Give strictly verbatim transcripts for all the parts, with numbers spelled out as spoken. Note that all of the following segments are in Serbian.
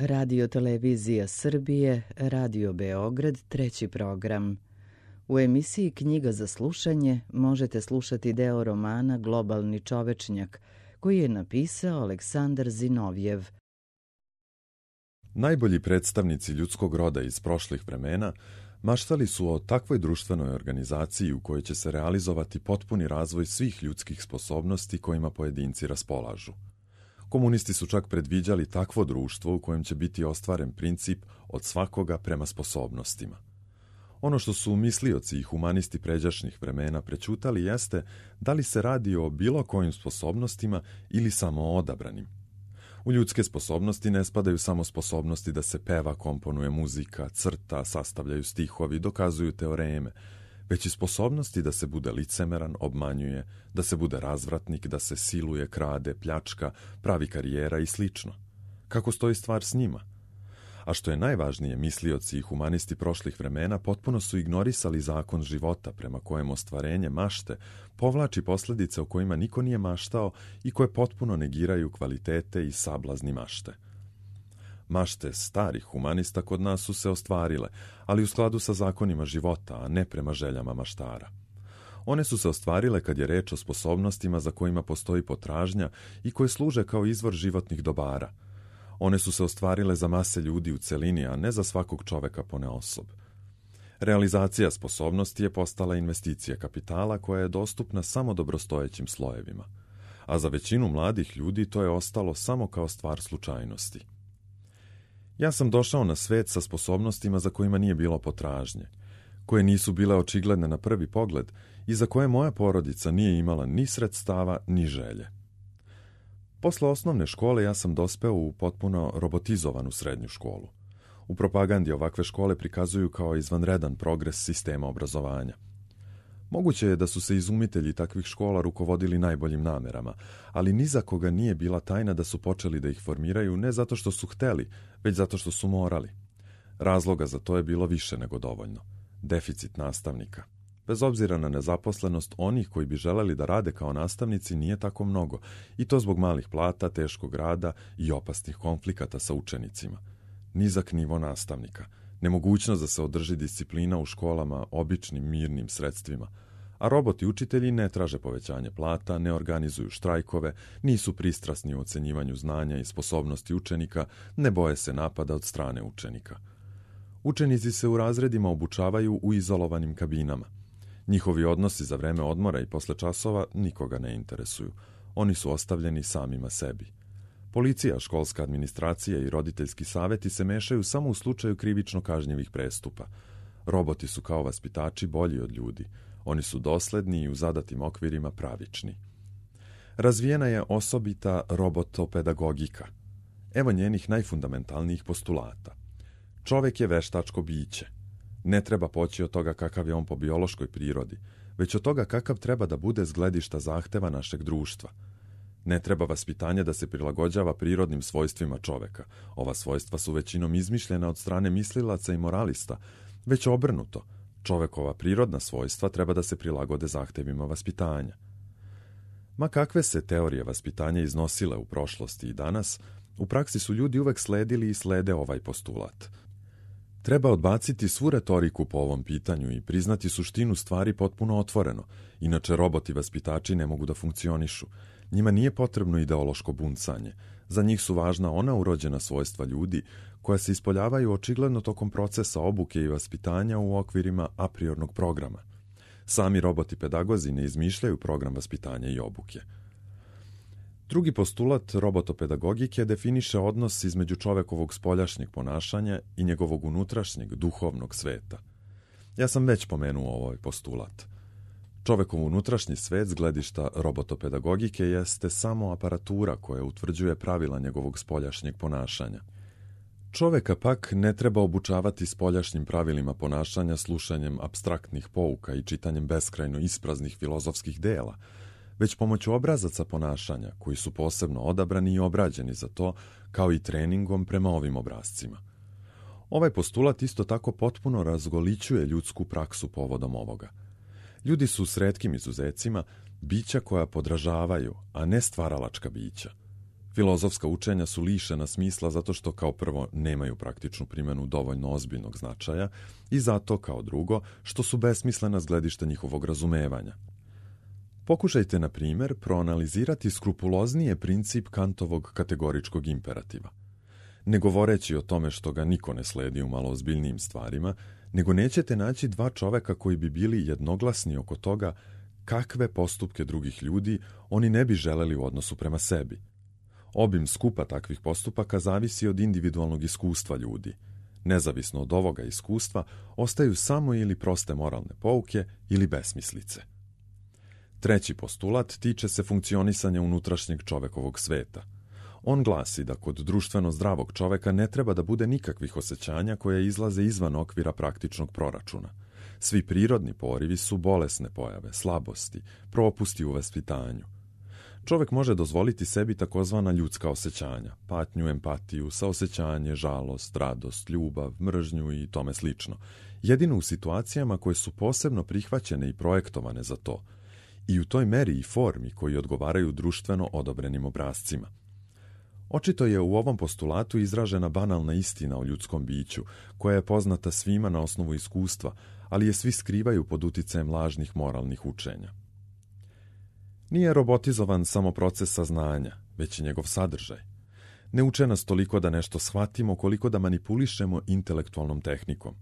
Radio Televizija Srbije, Radio Beograd, treći program. U emisiji Knjiga za slušanje možete slušati deo romana Globalni čovečnjak, koji je napisao Aleksandar Zinovjev. Najbolji predstavnici ljudskog roda iz prošlih vremena maštali su o takvoj društvenoj organizaciji u kojoj će se realizovati potpuni razvoj svih ljudskih sposobnosti kojima pojedinci raspolažu. Komunisti su čak predviđali takvo društvo u kojem će biti ostvaren princip od svakoga prema sposobnostima. Ono što su mislioci i humanisti pređašnjih vremena prećutali jeste da li se radi o bilo kojim sposobnostima ili samo o odabranim. U ljudske sposobnosti ne spadaju samo sposobnosti da se peva, komponuje muzika, crta, sastavljaju stihovi, dokazuju teoreme, već i sposobnosti da se bude licemeran, obmanjuje, da se bude razvratnik, da se siluje, krade, pljačka, pravi karijera i slično. Kako stoji stvar s njima? A što je najvažnije, mislioci i humanisti prošlih vremena potpuno su ignorisali zakon života prema kojem ostvarenje mašte povlači posljedice o kojima niko nije maštao i koje potpuno negiraju kvalitete i sablazni mašte. Mašte starih humanista kod nas su se ostvarile, ali u skladu sa zakonima života, a ne prema željama maštara. One su se ostvarile kad je reč o sposobnostima za kojima postoji potražnja i koje služe kao izvor životnih dobara. One su se ostvarile za mase ljudi u celini, a ne za svakog čoveka ponaosob. Realizacija sposobnosti je postala investicija kapitala koja je dostupna samo dobrostojećim slojevima, a za većinu mladih ljudi to je ostalo samo kao stvar slučajnosti. Ja sam došao na svet sa sposobnostima za kojima nije bilo potražnje, koje nisu bile očigledne na prvi pogled i za koje moja porodica nije imala ni sredstava ni želje. Posle osnovne škole ja sam dospeo u potpuno robotizovanu srednju školu. U propagandi ovakve škole prikazuju kao izvanredan progres sistema obrazovanja. Moguće je da su se izumitelji takvih škola rukovodili najboljim namerama, ali ni za koga nije bila tajna da su počeli da ih formiraju ne zato što su hteli, već zato što su morali. Razloga za to je bilo više nego dovoljno. Deficit nastavnika. Bez obzira na nezaposlenost, onih koji bi želeli da rade kao nastavnici nije tako mnogo, i to zbog malih plata, teškog rada i opasnih konflikata sa učenicima. Nizak nivo nastavnika, nemogućnost da se održi disciplina u školama običnim mirnim sredstvima, a roboti učitelji ne traže povećanje plata, ne organizuju štrajkove, nisu pristrasni u ocenjivanju znanja i sposobnosti učenika, ne boje se napada od strane učenika. Učenici se u razredima obučavaju u izolovanim kabinama. Njihovi odnosi za vreme odmora i posle časova nikoga ne interesuju. Oni su ostavljeni samima sebi. Policija, školska administracija i roditeljski saveti se mešaju samo u slučaju krivično kažnjivih prestupa. Roboti su kao vaspitači bolji od ljudi. Oni su dosledni i u zadatim okvirima pravični. Razvijena je osobita robotopedagogika. Evo njenih najfundamentalnijih postulata. Čovek je veštačko biće. Ne treba poći od toga kakav je on po biološkoj prirodi, već od toga kakav treba da bude s gledišta zahteva našeg društva. Ne treba vaspitanje da se prilagođava prirodnim svojstvima čoveka. Ova svojstva su većinom izmišljena od strane mislilaca i moralista, već obrnuto. Čovekova prirodna svojstva treba da se prilagode zahtevima vaspitanja. Ma kakve se teorije vaspitanja iznosile u prošlosti i danas, u praksi su ljudi uvek sledili i slede ovaj postulat. Treba odbaciti svu retoriku po ovom pitanju i priznati suštinu stvari potpuno otvoreno, inače roboti vaspitači ne mogu da funkcionišu. Njima nije potrebno ideološko buncanje. Za njih su važna ona urođena svojstva ljudi koja se ispoljavaju očigledno tokom procesa obuke i vaspitanja u okvirima apriornog programa. Sami roboti pedagozi ne izmišljaju program vaspitanja i obuke. Drugi postulat robotopedagogike definiše odnos između čovekovog spoljašnjeg ponašanja i njegovog unutrašnjeg duhovnog sveta. Ja sam već pomenuo ovaj postulat. Čovekov unutrašnji svet s gledišta robotopedagogike jeste samo aparatura koja utvrđuje pravila njegovog spoljašnjeg ponašanja. Čoveka pak ne treba obučavati spoljašnjim pravilima ponašanja slušanjem apstraktnih pouka i čitanjem beskrajno ispraznih filozofskih dela, već pomoću obrazaca ponašanja koji su posebno odabrani i obrađeni za to, kao i treningom prema ovim obrazcima. Ovaj postulat isto tako potpuno razgolićuje ljudsku praksu povodom ovoga. Ljudi su s retkim izuzecima bića koja podražavaju, a ne stvaralačka bića. Filozofska učenja su lišena smisla zato što kao prvo nemaju praktičnu primjenu dovoljno ozbiljnog značaja i zato kao drugo što su besmislena s gledišta njihovog razumevanja. Pokušajte, na primjer, proanalizirati skrupuloznije princip Kantovog kategoričkog imperativa. Ne govoreći o tome što ga niko ne sledi u malo ozbiljnijim stvarima, nego nećete naći dva čoveka koji bi bili jednoglasni oko toga kakve postupke drugih ljudi oni ne bi želeli u odnosu prema sebi. Obim skupa takvih postupaka zavisi od individualnog iskustva ljudi. Nezavisno od ovoga iskustva, ostaju samo ili proste moralne pouke ili besmislice. Treći postulat tiče se funkcionisanja unutrašnjeg čovekovog sveta. On glasi da kod društveno zdravog čoveka ne treba da bude nikakvih osjećanja koje izlaze izvan okvira praktičnog proračuna. Svi prirodni porivi su bolesne pojave, slabosti, propusti u vaspitanju. Čovek može dozvoliti sebi takozvana ljudska osjećanja, patnju, empatiju, saosjećanje, žalost, radost, ljubav, mržnju i tome slično, jedino u situacijama koje su posebno prihvaćene i projektovane za to, i u toj meri i formi koji odgovaraju društveno odobrenim obrascima. Očito je u ovom postulatu izražena banalna istina o ljudskom biću, koja je poznata svima na osnovu iskustva, ali je svi skrivaju pod uticajem lažnih moralnih učenja. Nije robotizovan samo proces saznanja, već i njegov sadržaj. Ne uče nas toliko da nešto shvatimo, koliko da manipulišemo intelektualnom tehnikom.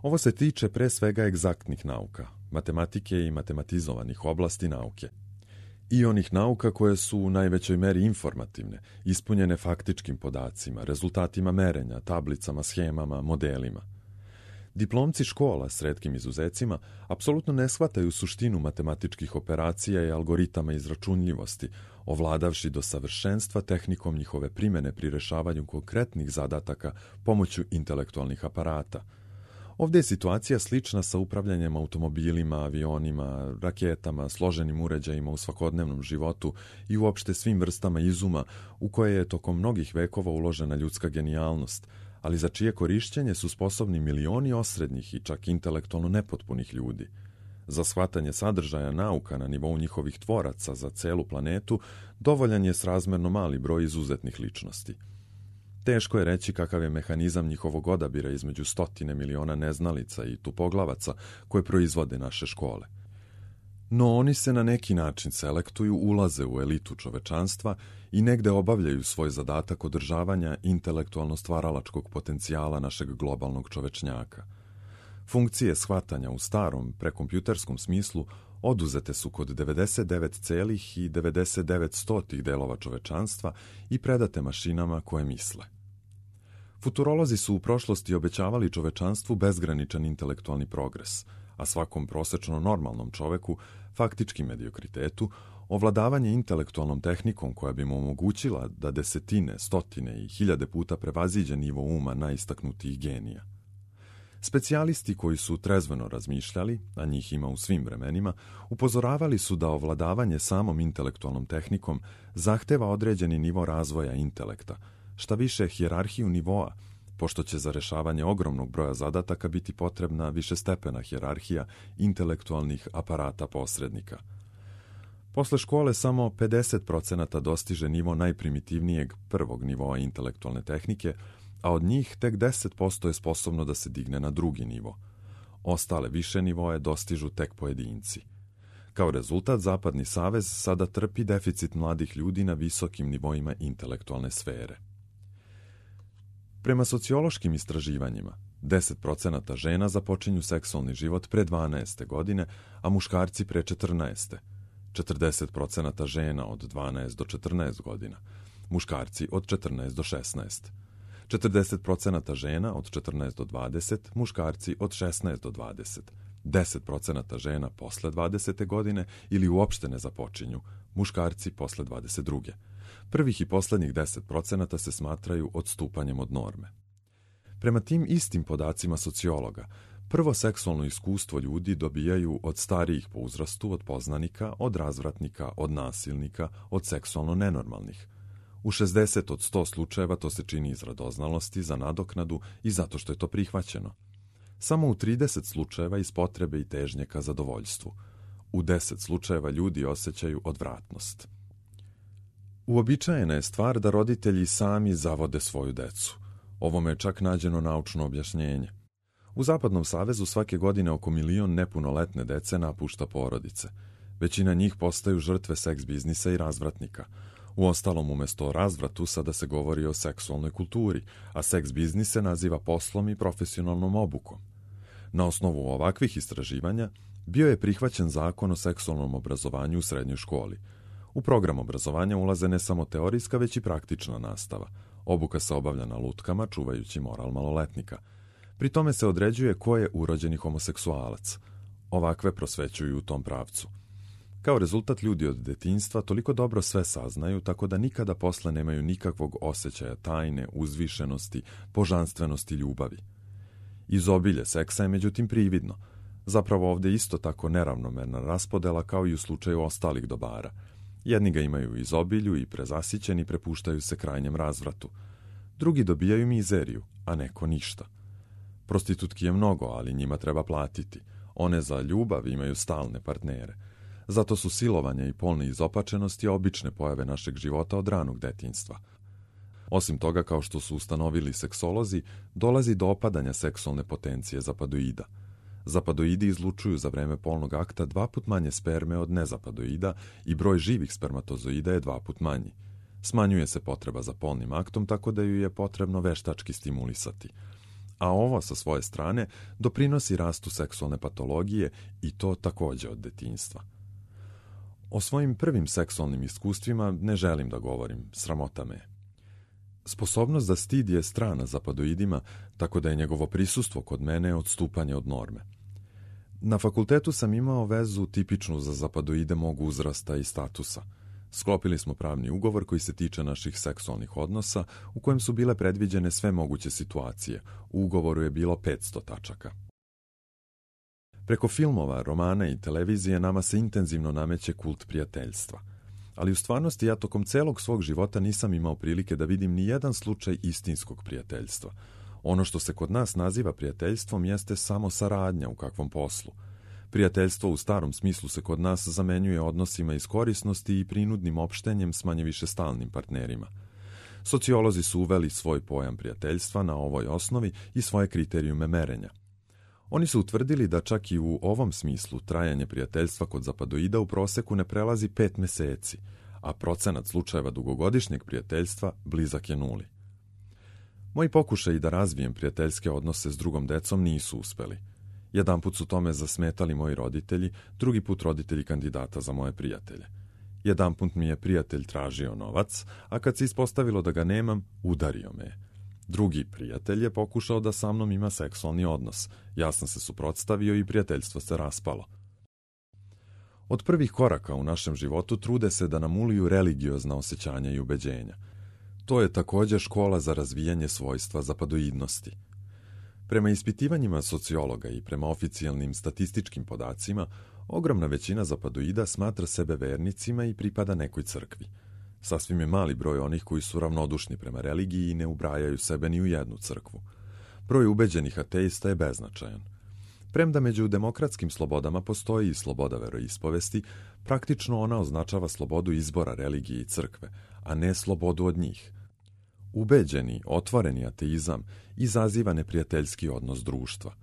Ovo se tiče pre svega egzaktnih nauka, matematike i matematizovanih oblasti nauke. I onih nauka koje su u najvećoj meri informativne, ispunjene faktičkim podacima, rezultatima merenja, tablicama, schemama, modelima. Diplomci škola, s retkim izuzecima, apsolutno ne shvataju suštinu matematičkih operacija i algoritama izračunljivosti, ovladavši do savršenstva tehnikom njihove primjene pri rešavanju konkretnih zadataka pomoću intelektualnih aparata. Ovdje je situacija slična sa upravljanjem automobilima, avionima, raketama, složenim uređajima u svakodnevnom životu i uopšte svim vrstama izuma u koje je tokom mnogih vekova uložena ljudska genijalnost, ali za čije korišćenje su sposobni milioni osrednjih i čak intelektualno nepotpunih ljudi. Za shvatanje sadržaja nauka na nivou njihovih tvoraca za celu planetu dovoljan je srazmerno mali broj izuzetnih ličnosti. Teško je reći kakav je mehanizam njihovog odabira između stotine miliona neznalica i tupoglavaca koje proizvode naše škole. No oni se na neki način selektuju, ulaze u elitu čovečanstva i negde obavljaju svoj zadatak održavanja intelektualno stvaralačkog potencijala našeg globalnog čovečnjaka. Funkcije shvatanja u starom prekompjuterskom smislu oduzete su kod devedeset devet celih devedeset devet stotih delova čovečanstva i predate mašinama koje misle. Futurolozi su u prošlosti obećavali čovečanstvu bezgraničan intelektualni progres, a svakom prosečno normalnom čoveku, faktički mediokritetu, ovladavanje intelektualnom tehnikom koja bi mu omogućila da desetine, stotine i hiljade puta prevaziđe nivo uma najistaknutijih genija. Specijalisti koji su trezveno razmišljali, a njih ima u svim vremenima, upozoravali su da ovladavanje samom intelektualnom tehnikom zahteva određeni nivo razvoja intelekta, šta više hijerarhiju nivoa, pošto će za rešavanje ogromnog broja zadataka biti potrebna višestepena hijerarhija intelektualnih aparata posrednika. Posle škole samo pedeset procenata dostiže nivo najprimitivnijeg prvog nivoa intelektualne tehnike, a od njih tek deset posto je sposobno da se digne na drugi nivo. Ostale više nivoe dostižu tek pojedinci. Kao rezultat, Zapadni savez sada trpi deficit mladih ljudi na visokim nivoima intelektualne sfere. Prema sociološkim istraživanjima, deset procenata žena započinju seksualni život pre dvanaeste godine, a muškarci pre četrnaeste. četrdeset procenata žena od dvanaest do četrnaest godina, muškarci od četrnaest do šesnaest. četrdeset procenata žena od četrnaest do dvadeset, muškarci od šesnaest do dvadeset. deset procenata žena posle dvadesete godine ili uopšte ne započinju, muškarci posle dvadeset druge. Prvih i poslednjih deset procenata se smatraju odstupanjem od norme. Prema tim istim podacima sociologa, prvo seksualno iskustvo ljudi dobijaju od starijih po uzrastu, od poznanika, od razvratnika, od nasilnika, od seksualno nenormalnih. U šezdeset od sto slučajeva to se čini iz radoznalosti, za nadoknadu i zato što je to prihvaćeno. Samo u trideset slučajeva iz potrebe i težnje ka zadovoljstvu. U deset slučajeva ljudi osjećaju odvratnost. Uobičajena je stvar da roditelji sami zavode svoju decu. Ovome je čak nađeno naučno objašnjenje. U Zapadnom savezu svake godine oko milion nepunoletne dece napušta porodice. Većina njih postaju žrtve seks biznisa i razvratnika. Uostalom, umjesto o razvratu sada se govori o seksualnoj kulturi, a seks biznis se naziva poslom i profesionalnom obukom. Na osnovu ovakvih istraživanja bio je prihvaćen zakon o seksualnom obrazovanju u srednjoj školi. U program obrazovanja ulaze ne samo teorijska, već i praktična nastava. Obuka se obavlja na lutkama, čuvajući moral maloletnika. Pri tome se određuje ko je urođeni homoseksualac. Ovakve prosvećuju u tom pravcu. Kao rezultat, ljudi od detinjstva toliko dobro sve saznaju, tako da nikada posle nemaju nikakvog osjećaja tajne, uzvišenosti, božanstvenosti, ljubavi. Izobilje seksa je međutim prividno. Zapravo ovdje isto tako neravnomerna raspodela kao i u slučaju ostalih dobara. Jedni ga imaju u izobilju i prezasićeni prepuštaju se krajnjem razvratu. Drugi dobijaju mizeriju, a neko ništa. Prostitutki je mnogo, ali njima treba platiti. One za ljubav imaju stalne partnere. Zato su silovanja i polne izopačenosti obične pojave našeg života od ranog detinjstva. Osim toga, kao što su ustanovili seksolozi, dolazi do opadanja seksualne potencije zapadoida. Zapadoidi izlučuju za vreme polnog akta dva put manje sperme od nezapadoida i broj živih spermatozoida je dva put manji. Smanjuje se potreba za polnim aktom, tako da ju je potrebno veštački stimulisati. A ovo, sa svoje strane, doprinosi rastu seksualne patologije i to također od detinjstva. O svojim prvim seksualnim iskustvima ne želim da govorim, sramota me. Sposobnost za stid je strana zapadoidima, tako da je njegovo prisustvo kod mene odstupanje od norme. Na fakultetu sam imao vezu tipičnu za zapadoide mog uzrasta i statusa. Sklopili smo pravni ugovor koji se tiče naših seksualnih odnosa, u kojem su bile predviđene sve moguće situacije. U ugovoru je bilo petsto tačaka. Preko filmova, romana i televizije nama se intenzivno nameće kult prijateljstva. Ali u stvarnosti ja tokom celog svog života nisam imao prilike da vidim ni jedan slučaj istinskog prijateljstva. Ono što se kod nas naziva prijateljstvom jeste samo saradnja u kakvom poslu. Prijateljstvo u starom smislu se kod nas zamenjuje odnosima iz korisnosti i prinudnim opštenjem s manje više stalnim partnerima. Sociolozi su uveli svoj pojam prijateljstva na ovoj osnovi i svoje kriterijume merenja. Oni su utvrdili da čak i u ovom smislu trajanje prijateljstva kod zapadoida u proseku ne prelazi pet meseci, a procenat slučajeva dugogodišnjeg prijateljstva blizak je nuli. Moji pokušaji da razvijem prijateljske odnose s drugom decom nisu uspeli. Jedanput su tome zasmetali moji roditelji, drugi put roditelji kandidata za moje prijatelje. Jedanput mi je prijatelj tražio novac, a kad se ispostavilo da ga nemam, udario me je. Drugi prijatelj je pokušao da sa mnom ima seksualni odnos. Ja sam se suprotstavio i prijateljstvo se raspalo. Od prvih koraka u našem životu trude se da nam uliju religiozna osjećanja i ubeđenja. To je također škola za razvijanje svojstva zapadoidnosti. Prema ispitivanjima sociologa i prema oficijalnim statističkim podacima, ogromna većina zapadoida smatra sebe vernicima i pripada nekoj crkvi. Sasvim je mali broj onih koji su ravnodušni prema religiji i ne ubrajaju sebe ni u jednu crkvu. Broj ubeđenih ateista je beznačajan. Premda među demokratskim slobodama postoji i sloboda veroispovesti, praktično ona označava slobodu izbora religije i crkve, a ne slobodu od njih. Ubeđeni, otvoreni ateizam izaziva neprijateljski odnos društva.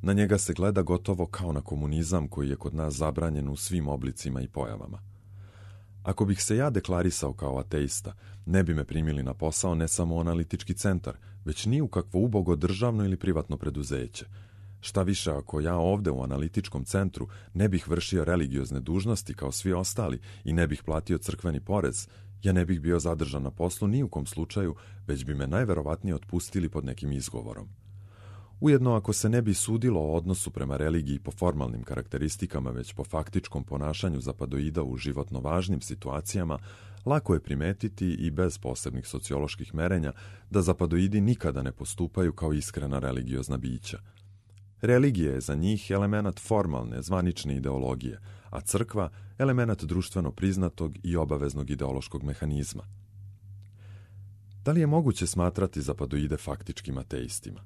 Na njega se gleda gotovo kao na komunizam koji je kod nas zabranjen u svim oblicima i pojavama. Ako bih se ja deklarisao kao ateista, ne bi me primili na posao ne samo u analitički centar, već ni u kakvo ubogo državno ili privatno preduzeće. Šta više, ako ja ovde u analitičkom centru ne bih vršio religiozne dužnosti kao svi ostali i ne bih platio crkveni porez, ja ne bih bio zadržan na poslu ni u kom slučaju, već bi me najverovatnije otpustili pod nekim izgovorom. Ujedno, ako se ne bi sudilo o odnosu prema religiji po formalnim karakteristikama, već po faktičkom ponašanju zapadoida u životno važnim situacijama, lako je primetiti i bez posebnih socioloških merenja da zapadoidi nikada ne postupaju kao iskrena religiozna bića. Religija je za njih elemenat formalne, zvanične ideologije, a crkva elemenat društveno priznatog i obaveznog ideološkog mehanizma. Da li je moguće smatrati zapadoide faktičkim ateistima?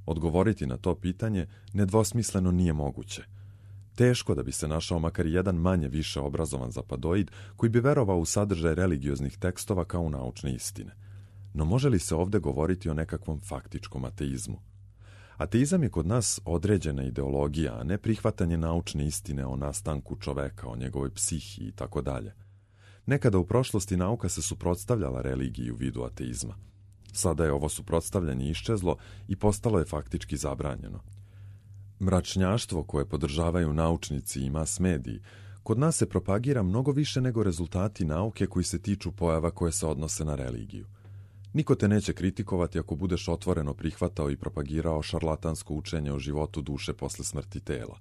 Odgovoriti na to pitanje nedvosmisleno nije moguće. Teško da bi se našao makar jedan manje više obrazovan zapadoid koji bi verovao u sadržaj religioznih tekstova kao u naučne istine. No može li se ovdje govoriti o nekakvom faktičkom ateizmu? Ateizam je kod nas određena ideologija, a ne prihvatanje naučne istine o nastanku čoveka, o njegovoj psihi i tako dalje. Nekada u prošlosti nauka se suprotstavljala religiji u vidu ateizma. Sada je ovo suprotstavljanje iščezlo i postalo je faktički zabranjeno. Mračnjaštvo koje podržavaju naučnici i mas mediji kod nas se propagira mnogo više nego rezultati nauke koji se tiču pojava koje se odnose na religiju. Niko te neće kritikovati ako budeš otvoreno prihvatao i propagirao šarlatansko učenje o životu duše posle smrti tela.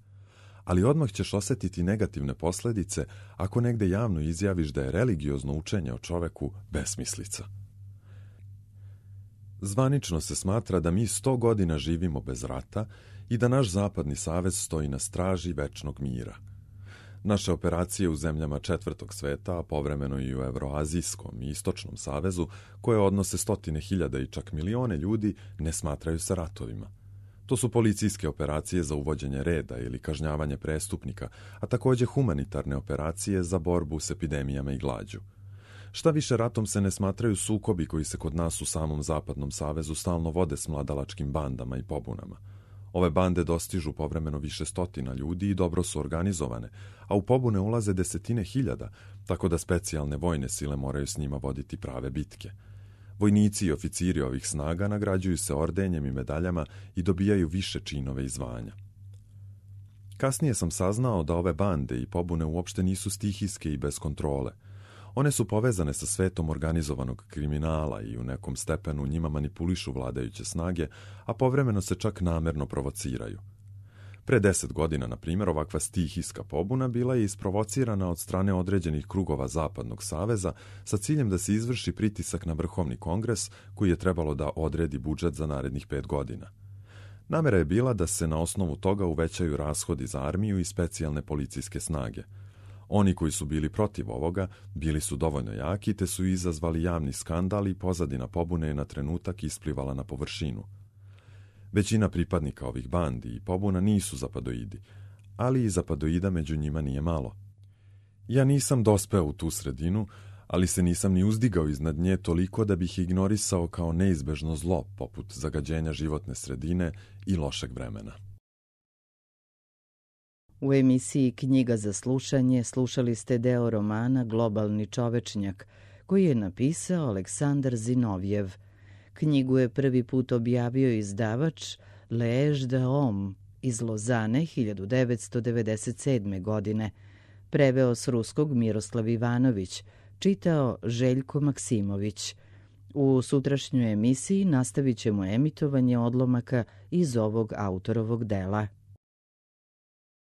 Ali odmah ćeš osjetiti negativne posljedice ako negde javno izjaviš da je religiozno učenje o čoveku besmislica. Zvanično se smatra da mi sto godina živimo bez rata i da naš zapadni savez stoji na straži večnog mira. Naše operacije u zemljama četvrtog sveta, a povremeno i u Evroazijskom i Istočnom savezu, koje odnose stotine hiljada i čak milione ljudi, ne smatraju se ratovima. To su policijske operacije za uvođenje reda ili kažnjavanje prestupnika, a također humanitarne operacije za borbu s epidemijama i glađu. Šta više, ratom se ne smatraju sukobi koji se kod nas u samom Zapadnom savezu stalno vode s mladalačkim bandama i pobunama. Ove bande dostižu povremeno više stotina ljudi i dobro su organizovane, a u pobune ulaze desetine hiljada, tako da specijalne vojne sile moraju s njima voditi prave bitke. Vojnici i oficiri ovih snaga nagrađuju se ordenjem i medaljama i dobijaju više činove i zvanja. Kasnije sam saznao da ove bande i pobune uopšte nisu stihijske i bez kontrole. One su povezane sa svetom organizovanog kriminala i u nekom stepenu njima manipulišu vladajuće snage, a povremeno se čak namerno provociraju. Pre deset godina, na primjer, ovakva stihijska pobuna bila je isprovocirana od strane određenih krugova Zapadnog saveza sa ciljem da se izvrši pritisak na Vrhovni kongres koji je trebalo da odredi budžet za narednih pet godina. Namera je bila da se na osnovu toga uvećaju rashodi za armiju i specijalne policijske snage. Oni koji su bili protiv ovoga bili su dovoljno jaki te su izazvali javni skandal i pozadina pobune je na trenutak isplivala na površinu. Većina pripadnika ovih bandi i pobuna nisu zapadoidi, ali i zapadoida među njima nije malo. Ja nisam dospeo u tu sredinu, ali se nisam ni uzdigao iznad nje toliko da bih ignorisao kao neizbežno zlo poput zagađenja životne sredine i lošeg vremena. U emisiji Knjiga za slušanje slušali ste deo romana Globalni čovečnjak, koji je napisao Aleksandar Zinovjev. Knjigu je prvi put objavio izdavač Lež de Om iz Lozane hiljadu devetsto devedeset sedme. godine. Preveo s ruskog Miroslav Ivanović, čitao Željko Maksimović. U sutrašnjoj emisiji nastavit ćemo emitovanje odlomaka iz ovog autorovog dela.